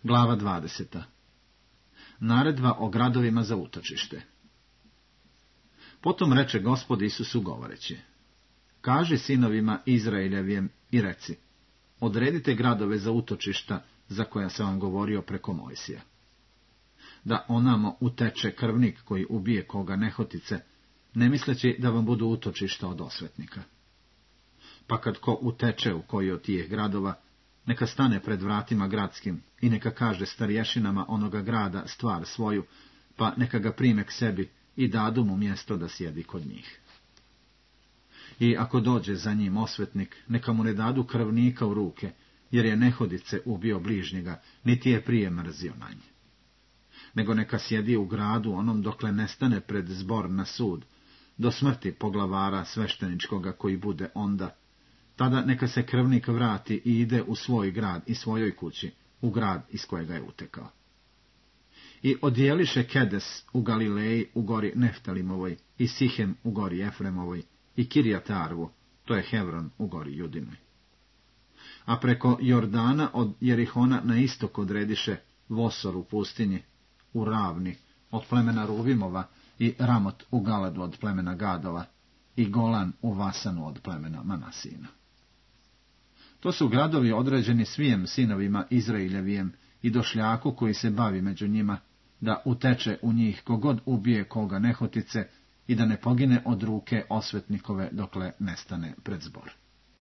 Glava 20. Naredba o gradovima za utočište. Potom reče Gospod Isusu govoreći: Kaži sinovima Izraeljevim i reci: odredite gradove za utočišta za koja sam vam govorio preko Mojsija. Da onamo uteče krvnik koji ubije koga nehotice, ne misleći da vam budu utočišta od osvetnika. Pa kad ko uteče u koji od tih gradova, neka stane pred vratima gradskim i neka kaže starješinama onoga grada stvar svoju, pa neka ga prime k sebi i dadu mu mjesto da sjedi kod njih. I ako dođe za njim osvetnik, neka mu ne dadu krvnika u ruke, jer je nehodice ubio bližnjega, niti je prije mrzio na nje. Nego neka sjedi u gradu onom dokle ne stane pred zbor na sud, do smrti poglavara svešteničkoga koji bude onda. Tada neka se krvnik vrati i ide u svoj grad i svojoj kući, u grad iz kojega je utekao. I odijeliše Kedes u Galileji u gori Neftalimovoj, i Sihem u gori Efremovoj, i Kirjat Arvu, to je Hevron u gori Judinoj. A preko Jordana od Jerihona na istok odrediše Vosor u pustinji, u Ravni od plemena Ruvimova, i Ramot u Galadu od plemena Gadova, i Golan u Vasanu od plemena Manasina. To su gradovi određeni svijem sinovima Izraeljevijem i došljaku koji se bavi među njima, da uteče u njih kogod ubije koga nehotice i da ne pogine od ruke osvetnikove dokle ne stane pred zbor.